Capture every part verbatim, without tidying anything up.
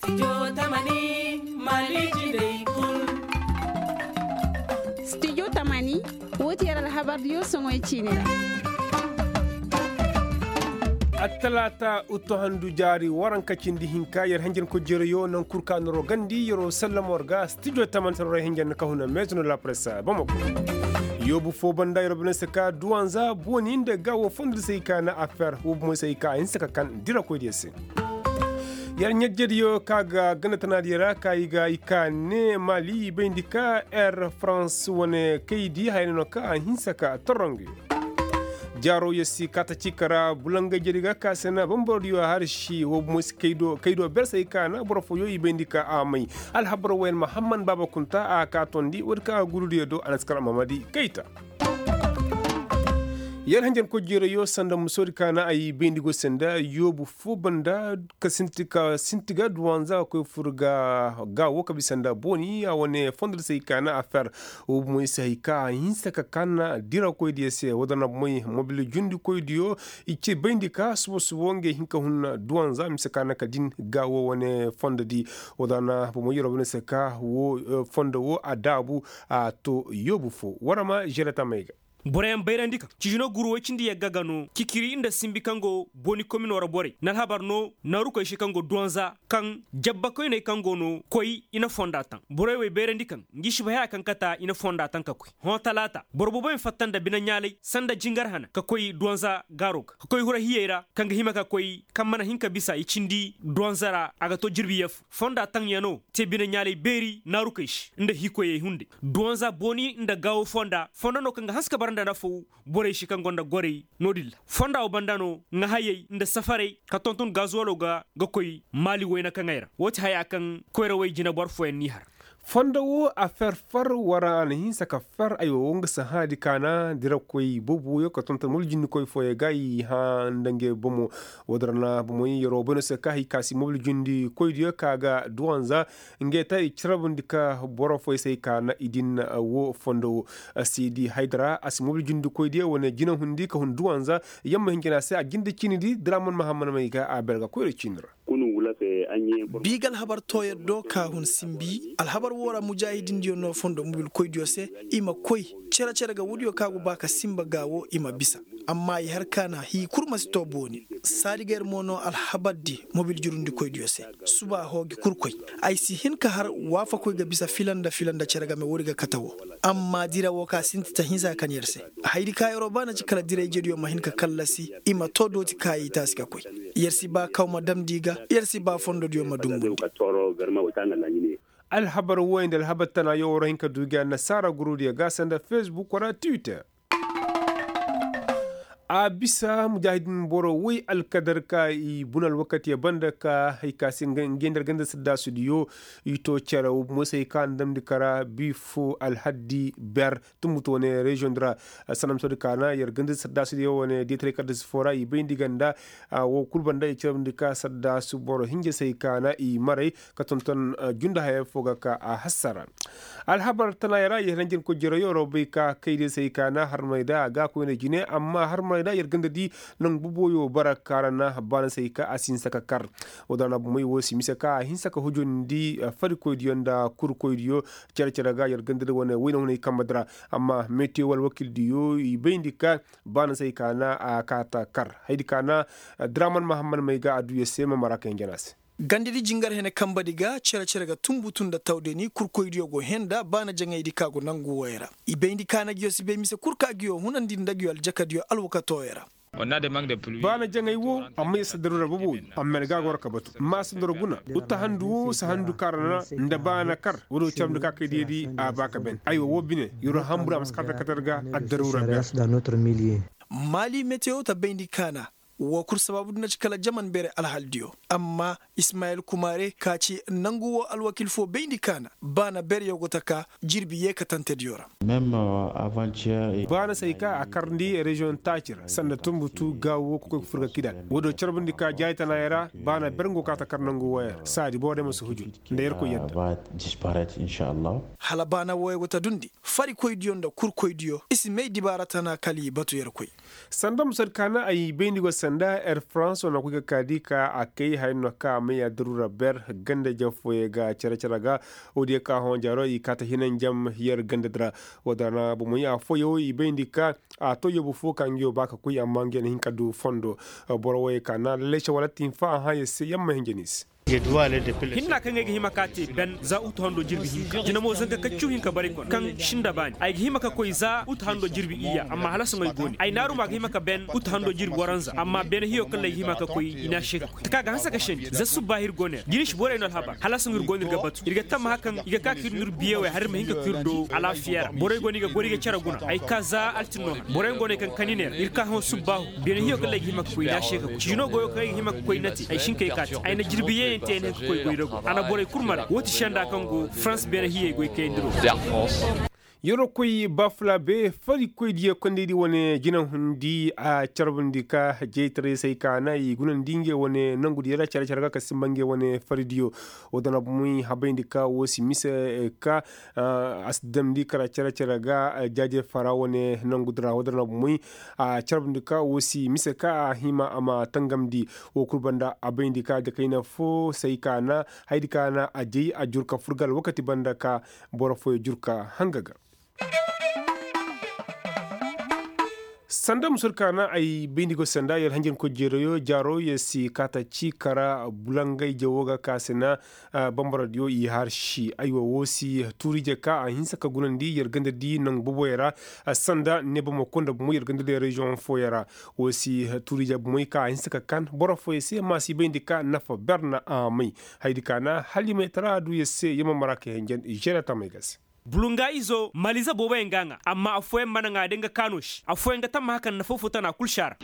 Studio tamani, woo ti yer alhabardiyo soŋoy ciini ra. Attalaata uttu handu jaari waranka cindi hinka yer henjen ko jereyo naŋ kul ka noro gandi yeroo sallamo war ga studio tamani sararay henjen na kahuna meetuno lapresa bamako. Yoobu foo banda yeroo bine se ka duwanza booni nda gaawo fondo di se i ka na afeer woo bomo se i ka a hinsa ka kan dirakoydiyo se. Yer ɲajjediyo ka ga ganda tanaadiyo ra ka i ga i ka ne maali i bayndi ka air farans wane kaydi haya no ka a hinsa ka torro nga yo. Jaaro yer si kaata ciika ra bulangayjedi ga ka se na bambarodiyo harsi woo bomo si kaydo ber se i ka na boro fooyo i bayndi ka a may. Alhabar wooyaŋ mahamman baaba kunta a ka tondi woodi ka a gurudiyo do a na si kar a mamadi kayta. Yer hanjankoy jeerayo sanda musoodi ka na ay bayndi go senda yoobu foo banda ka sinti ga duwanza ga koy fur ga gaawo ka bisa nda booni a wane fondo di se ay ka na afeer. Woo bomoy se hay ka a hinsa ka kan dirakoydiyo se woo da na bomoy mobil jundikoydiyo i ci bayndi ka subo subo ngey hin ka hun duwanza mise ka na ka din gaawo wane fondo di. Woo da na bomoy yeroo bomoy se ka woo fondo woo a daabu a to yoobu foo war ma žeretamey ga. Boroyaŋ bayrandi kaŋ cižino guru woy cindi yagga ga no kikiri nda simbi kaŋ go booni komino ra borey na alhabar no naarukoy se kaŋ go duwanza kaŋ jabbakoyney kaŋ go no koy i na fonda taŋ borey wey bayrandi kaŋ ngi si bay haya kaŋ kata i na fonda taŋ ka koy hõ talaata boro booboyaŋ fatta nda bine ɲaalay sanda jingar hana ka koy duwanza gaaro ga ka koy hura hiyey ra kaŋ ga hima ka koy kaŋ mana hin ka bisa i cindi duwanza ra a ga to jirbi yee fo fonda taŋ ya no te bine ɲaalay beeri naarukey se nda hiikoyey hunday duwanza booni nda gaawo fonda fondo no kaŋ ga hanse ka bara nda nafaw borey se kaŋ gonda gorey no-din ra fonda wo banda no ŋahayey nda safarey ka tonton gazuwalo ga ga koy maali wayna kaŋey ra woo ti haya kaŋ koyrawey jineboro fooyaŋ n'i har. Fondo wo a fer far wara a na hinsa ka fer aywa wo nga sahãadi kaana dirakoy boobo wooyo ka tonton mobil jindikoy fooyaŋ ga i hã nda ngey bomo. Woo din ra na bomoy yeroo bay no se ka hay ka si mobil jindikoydiyo ka ga duwanza ngey ta i carabandi ka boro fooyaŋ se ay ka na i din woo fondo woo. Siidi haydara a si mobil jindikoydiyo wane jinahundi ka hun duwanza yamma hinjina se a jinde ciinidi draman mahamman may ga a ber ga koyra ciini ra. Bi ga alhabar tooyar do ka hun simbi alhabar woo ra mujaahidindiyo no fondo mobilkoydiyo se i ma koy cere-cere ga woodiyo ka go ba ka simba gaawo i ma bisa. Amma i har ka na hii kul ma si too booni saadi ga yer mo no alhabardi mobil jurundikoydiyo se. Suba hoogi kul koy ay si hin ka har waafakoy ga bisa fila nda fila nda cere game woodi ga kate woo. Amma dira woo ka sinti ta hinsa kan yer se. Hayadi ka yeroo ba na ci kala dirayjediyo ma hin ka kallasi i ma too dooti kaayi taasi ka koy. Yer si ba kaw ma damndi ga yer si ba fondodiyo ma dungundi. Alhabar wooyaŋ nda alhabar tanayo war hin ka du gi annasaara gurudiyo ga sanda fesbuk wala twitter. A bisa mujaahidin boro woy alkadar ka i buna alwakatiyo banda ka hay ka se ngey nda alganda saddaasudiyo i to cere wo bumo se hay ka a na damndi kara bi foo alhaddi ber tumbutu wane reziyoŋ di ra. Sanda misoodi ka na yer ganda saddaasudiyo wane deetaray kaddasi foo ra i bayndi ganda. Wo kul banda i carabndi ka saddaasu boro hinja se hay ka na i maray ka tonton junda haya foo ga ka a hassara. Alhabar tanaayoo ra yer hanjankoy jereyo ra bay ka kaydiyo se hay ka na harmay da a ga koyne jine amma harmay da yer ganda di nangu boboyo bara ka ra na baana se hay ka a si hinsa ka kar. Woo da na bomey woo si mise ka a hinsa ka hujundi farikoydiyo nda kurkoydiyo. Cere-cere ga yer ganda di wane wayna hunay kamba di ra. Amma metiyo wala wakildiyo i bayndi ka baana se hay ka na a kaata kar haydi ka na draman mahamman may ga a du yer se ma mara ka hinja no a se. Gandadi jingar hene kambadi ga cere-cere ga tumbutu nda tawdani kurkoydiyo go henda baana jaŋaydi ka go nangu wooyo ra. I bayndi ka na nguyo si bay mise kul ka nguyo hunandi nda nguyo aljakadiyo alwakatooyo ra. Baana jaŋay woo amma yer si daruura boboyo amma yer ga a goro ka batu maasandoro guna. Uttahandu woo sahandu ka ra na nda baana kar woodiyo carandi ka kaydiyadi a ba ka ben aywa woo bine yeroo hamburu a ma si kaata katar ga addaruura ber. Maali metiyo ta bayndi ka na woo kul sabaabu di na ci kala jaman beere alhaldiyo. Amma ismayil kumaare ka ci nangu woo alwakil foo bayndi ka na baana bereyo go ta ka jirbi yeekatantediyo ra. Baana se hay ka a karndi reziyoŋ taaci ra sanda tumbutu gaawo ka koy ka fur ga kidal woodiyo carbundi ka jaaytanaayoo ra. Baana ber nga go ka ta kar nangu wooyo ra saadi boro day ma si huju nda yerkoy yadda. Hala baana wooyo go ta dundi farikoydiyo nda kurkoydiyo i si may dibaara tana kala i batu yerkoy. Sanda musad ka na ay bayndi go sanda. Nda air farans wane koy ga kaadi ka a kay haya no ka a may a daruura ber ganda jafooyey ga care care ga. Woodiyo ka hõ jaaro i kaata hinanjam yer ganda dira. Woodana bomoy a fooyo i bayndi ka a to yoobu fo ka nga yoo ba ka koy amma nga yer na hin ka du fondo. Boro wooyey ka na lallay se wala tinfa a hã yer se yer ma hinja ni se. Hinna kaŋ ay ga hima ka te ben za utu hando jirbi hinka jina mo zanka kaccu hinka baray kono kaŋ sinda baani ay ga hima ka koy za utu hando jirbi iyya amma hala soŋay go ne ay naaru ma ga hima ka ben utu hando jirbi waranza amma beene hiyo kaŋ ra ay ga hima ka koy i n'a se ka koy taka ga hanse ka sendi za subba ir go ne ra jina i si borey no alhabar hala soŋ ir go no ir ga batu ir ga tammaha kaŋ i ga ka ka ir no ir biyewey har ir ma hin ka koy ir do alaafiya ra borey go no i ga goro i ga care guna ay ka za altin no han borey go no ay kaŋ kani ne ra ir ka hõ subbaahu beene hiyo kaŋ ra ay ga hima ka koy i n'a se ka koy ciino goyo kaŋ ay ga hima ka koy na te ay si hin ka ay ka te ay na jirbi yeeyaŋ te ay na hin ka koy goy rago a na borey kul maray woo ti senda kaŋ go farans beene hiyey goy kayandi ro. Yeroo koy bafulaabe farikoy diyo kondaydi wane jinahundi a carbundi ka jaytaray se ay ka na i gunandi ngey wane nongudiyo ra care care ga ka simba ngey wane faridiyo. Woo dana bomoy habayndi ka woo si mise ka a si damndi kara care care ga jaaje fara wane nongudiyo ra woo dana bomoy a carbundi ka woo si mise ka a hima a ma tangamndi. Woo kul banda a bayndi ka dakayna fo se ay ka na haydi ka na a jay a jur ka fur ga alwakati banda ka boro fooyo jur ka hanga ga. Sanda musur ka na ay bayndi go sanda yer hanjankoy jeerayo jaaro yer si kaata ci kara bulangay jawo ga ka se na bambara diyo i har si aywa woo si tuuri je ka a hinsa ka gunandi yer ganda di nangu boboyo ra. Sanda ne bamako nda bumo yer ganda di reziyoŋ fooyo ra woo si tuuri je bumoy ka a hinsa ka kan boro fooyo se ma si bayndi ka nafa ber na a may. Haydi ka na hala i may tara du yer se yer ma mara ka henjen i žere tamey ga se. Bulunga izo maliza booboyaŋ ga ŋaa amma affooyaŋ mana ŋaa day nga kaano se affooyaŋ ga tamma hakaŋ na foofo tana kul se a ra.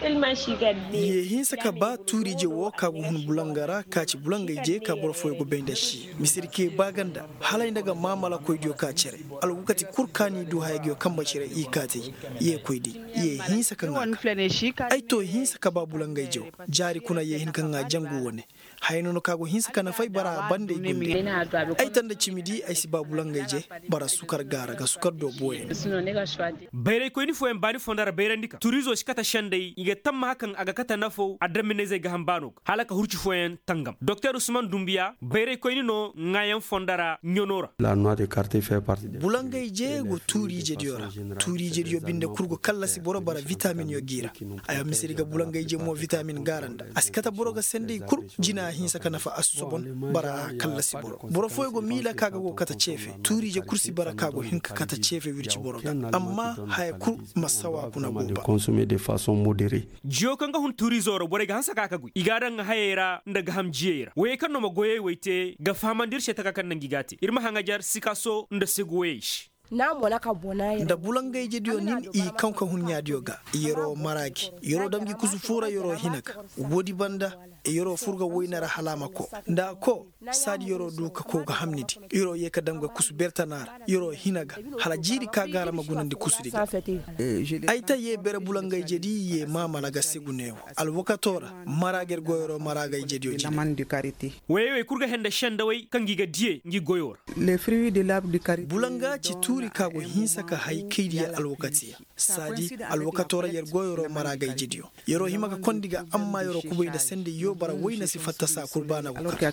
Ye hinsa ka ba tuuri-ije wo ka go hun bulanga ra ka ci bulanga-ije ka boro fooyaŋ go bay nda se misedi ka ye ba ganda hala ay nda ga maamalakoydiyo ka cere. Alwakati kul ka ni du haya ga yo kambe cere i kaatay. Ye koy day ye hinsa ka ŋaa ka ay to hinsa ka ba bulanga-ije wo jaari kuna ye hin ka ŋaa jangu wane. Haya no no ka go hinsa ka nafa ay bara banda ay gunde. Ay tanda cimi di ay si ba bulangayje bara sukar gaara ga sukar do booyaŋ. Bayraykoyni fooyaŋ baani fondo ra bayrandi ka turizo si kate sendey i ga tammaha kaŋ a ga kate nafaw adaminnayzey ga ham baano ga hala ka hurci fooyaŋ tangam doktor usman dumbiya bayraykoyni no ŋaayaŋ fondo ra ɲano ra. Bulangayje go tuuriijediyo ra. Tuuriijediyo binde kul go kallasi boro bara vitaminyo g'i ra. Ay ma misedi ga bulangayje mo vitamin gaara nda a si kate boro ga sendey kul. Jina a hinsa ka nafa a si sobon bara a kallasi boro boro fooyaŋ go miila ka ga go kate ceefe tuuriije kul si bara ka go hin ka kate ceefe wirci boro ga. Amma haya kul ma sawa kuna go ba. Jiyo kaŋ ga hun tuuriizo ra borey ga hanse ka ka goy i g'a daŋ hayey ra nda gaham jiyey ra woyey kaŋ no ma goyey wey te ga fahamandi ir se taka kaŋ naŋ gi g'a te ir ma haŋajar sikaso nda segu woyey se. Nda bulangayjediyo nin i kaŋ ka hun ɲaadiyo ga. Yeroo mara gi yeroo dam gi kusu foo ra yeroo hina ga. Woodi banda yeroo fur ga wayna ra hala a ma koo nda a koo. Saadi yeroo du ka koo ga hamni di yeroo yee ka dam ga kusu bertana ra yeroo hina ga. Hala jiiri ka gaara ma gunandi kusudi ga. Ay ta yee bere bulangayjedi yee maamala ga segu neewo. Alwakatoo ra mara ga ir goyoo ra mara ga ijediyo jine. Woyey wey kul ga hende sendawey kaŋ gi ga diyey ngi goyoo ra. Bulanga ci tuuri ka go hinsa ka hay kaydiya alwakatiya. Saadi alwakatoo ra yer goyoo ra mara ga ijediyo. Yeroo hima ga kondi ga amma yeroo kubay nda sendey yoo bara wayna si fatta saa kul baana go ka.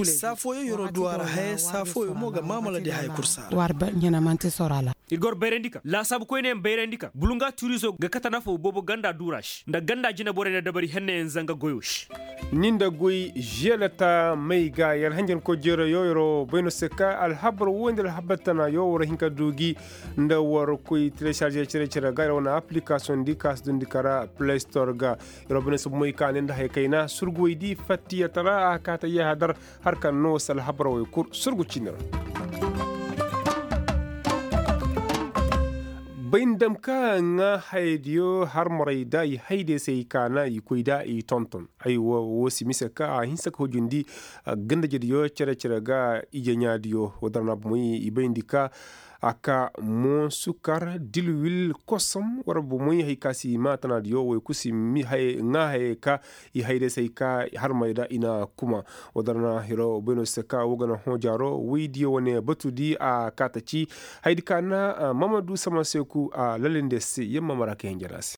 Saa fooyo yeroo du a ra haya saa fooyo mo ga maamala di haya kul saa ra. Ir gor bayrandi ka laasaabu koyneyaŋ bayrandi ka bulunga tuurizo ga kate nafaw boobo ganda duura se nda ganda jineborey nda dabari henneyaŋ zanga goyo se. Ni nda goy želeta may ga yer hanjankoy jeerayo yeroo bay no se ka alhabar wo nda alhabar tanayo war hin ka du gi. Nda war koy telesarže cere cere ga yer wane aplikasiyoŋ di ka si dundi kara play store ga. Yeroo bay no se bumey ka ne nda haya kayna surguwey di fattiyatara a kaata yahadar. Har kaŋ no sal habarowey kul surgu cini ra. Bay ni dam ka ŋaa hayadiyo harmarey da i haydey se i kaana i koy da i tonton. Ay wo si mise ka a hinsa ka hujundi gandajediyo cere cere ga ije ɲaadiyo wo dara na bomey i bayndi ka a ka mo sukar dilwil kosom war bomey hay ka si ma tanaadiyo wey kul si ŋaa hayey ka i hayday se ay ka harmey da i na kuma. Wo dara na hiro bayno se ka wo ga na hõ jaaro woydiyo wane batu di a kaata ci. Haydi ka na mamadu sama seeku a lalinde se yamma mara ka hinjana se.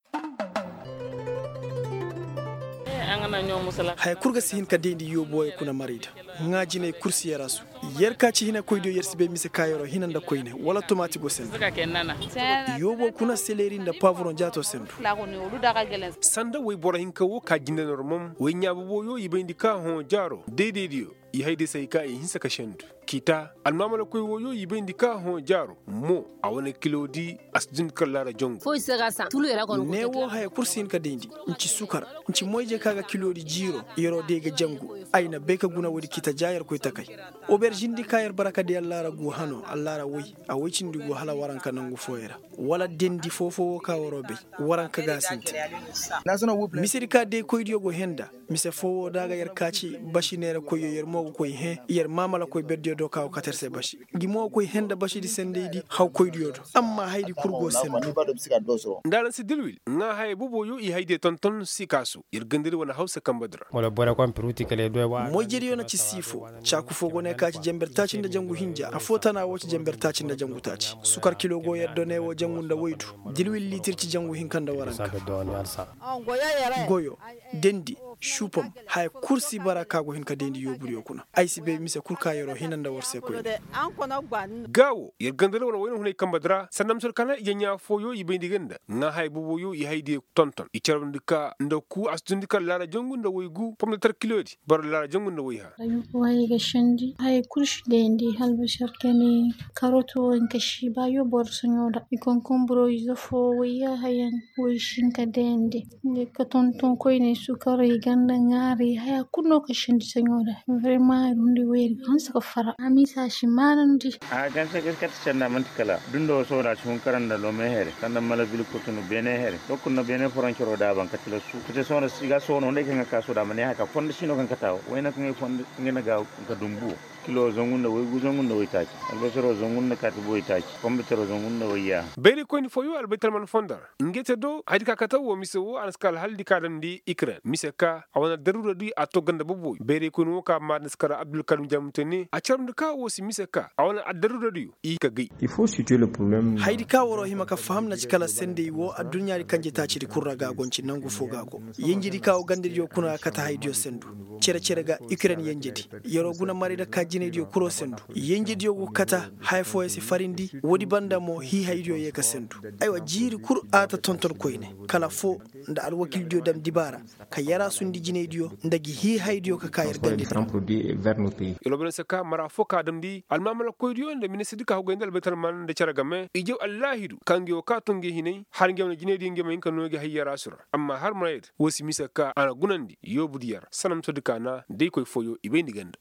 Haya kul ga si hin ka dayndi yoobo wey kuna maray da ŋaa jinay kul si yarasu. Yer ka ci hinakoydiyo yer si bay mise ka yeroo hina nda koyne wala tomaati go senda. Yoobo kuna seleri nda paaburoŋ jaatoo sendu. Sanda woy boro hinka wo ka jinde normom woy ɲaa boboyo i bayndi ka hõ jaaro daydaydiyo i hay day se hay ka i hinsa ka sendu. K'i ta almaamalakoy woyo i bayndi ka hõ jaaro mo a wane kilo di a si dundi kar laara jangu. Ne wo haya kul si hin ka dayndi. Nci sukar nci moyje ka ga kilo di jiiro. Yeroo day ga jangu. Ay na bay ka guna woodi k'i ta ja yer koy takay. Oberžin di ka yer bara ka di allaara gu hano allaara woy a woy cindi gu hala waranka nangu fooyey ra. Wala dendi foo-foo wo ka waroo bay. Waranka ga a sintin. Mise di ka deekoydiyo go hẽ nda mise foo wo da a ga yer kaaci basi neerakoyyo yer mo ga koy hẽ yer maamalakoy berdiyo do ka go kate yer se basi. Ngi mo ga koy hẽ nda basidi sendaydi hawkoydiyo do. Amma hayadi kul go sendu. Nda araŋ si dilwil ŋaa hayey boboyo i hayadiyo tonton si kaasu. Yer gandadi wane hawsa kambadi ra. Moyjediyo na ci siifo. Caaku foo go ne ka ci jenber taaci nda jangu hinja afoo tana woo ci jenber taaci nda jangu taaci sukar kilo go yer do ne woo jangu nda woydu. Dilwil liitir ci jangu hinka nda waranka. Goyo, dendi, supom, haya kul si bara ka go hin ka dendi yoobudiyo kuna. Ay si bay mise kul ka yeroo hina nda war se koyne. Gaa wo yer ganda nda wane wayna hunay kambadi ra sanda mise war kaana ije ɲaa fooyo i bayndi ga nda ŋaa haya boboyo i hayadiyo tonton i carabndi ka nda ku a si dundi kala laara jangu nda woy gu pomdatar kilodi boro laara jangu nda woy ha. Waayey ga sendi haya kul si dendi halbasar kani. Karot wo hinka si ba yoobo ra soɲo ra i konkonburo ize foo woy yaahayaŋ. Woy si hinka dendi. Ngey ka tonton koyney sukaray ganda ŋaaray haya kul no ka sendi soɲo ra. Vrema ay dundi woyey ga hanse ka fara a misa si maanandi. A ganse ga kate senda man'ti kala dundo sohõ da si hun kara nda lome here kala nda malabil kotunu beene here. Dokul na beene foroncero da a ban kate lasu kate sohõ da si ga sohõ nda ay kaŋ ga ka sohõ da a ma ne haya ka fondo si no kaŋ kate a wo wayna kaŋ ay fondo. Ngey na ga ka dumbu kilo zangu nda woy gu zangu nda woy taaci. Albasaro zangu nda kaati boy taaci. Fombitaro zangu nda woy yaaha. Bayray koyni fooyo albaytalman fondo ra. Ngey te do hayadi ka kate wo mise wo a na si ka alhaldi ka damndi ikren mise ka a wane addaruuradi a to ganda boboy bayray koyni wo ka maadin si kara abdulkarim jamuntani a carabndi ka wo si mise ka a wane addaruuradiyo i ka gay. Hayadi ka waroo hima ka faham na ci kala senday wo adduɲɲaadi kanje taacidi kul ra ga a go nci nangu foo ga a go. Yenjedi ka wo gandadiyo kuna ga kate hayadiyo sendu. Cere-cere ga ikren yenjedi. Yeroo guna maray nda ka jinaydiyo kuloo sendu. Yenjediyo go kate haya fooyaŋ si farindi. Woodi banda mo hii hayadiyo yee ka sendu. Aywa jiiri kul a ta tonton koyne kala foo nda alwakildiyo dam dibaara. Ka yaraasundi jinaydiyo nda gi hii hayadiyo ka ka yer gandediyo. Yalwa bay na se ka mara foo ka damndi almaamalakoydiyo nda ministirdi ka hugay nda albaytalman nda cere game i jaw allaahidu ka ngey wo ka to ngey hinay har ngey wane jinaydiyo ngey ma hin ka noo gi hay yaraasu ra. Amma har maraydi woo si mise ka a na gunandi yoobudiyo ra sanamtodi ka na day koy fooyo i bayndi ganda.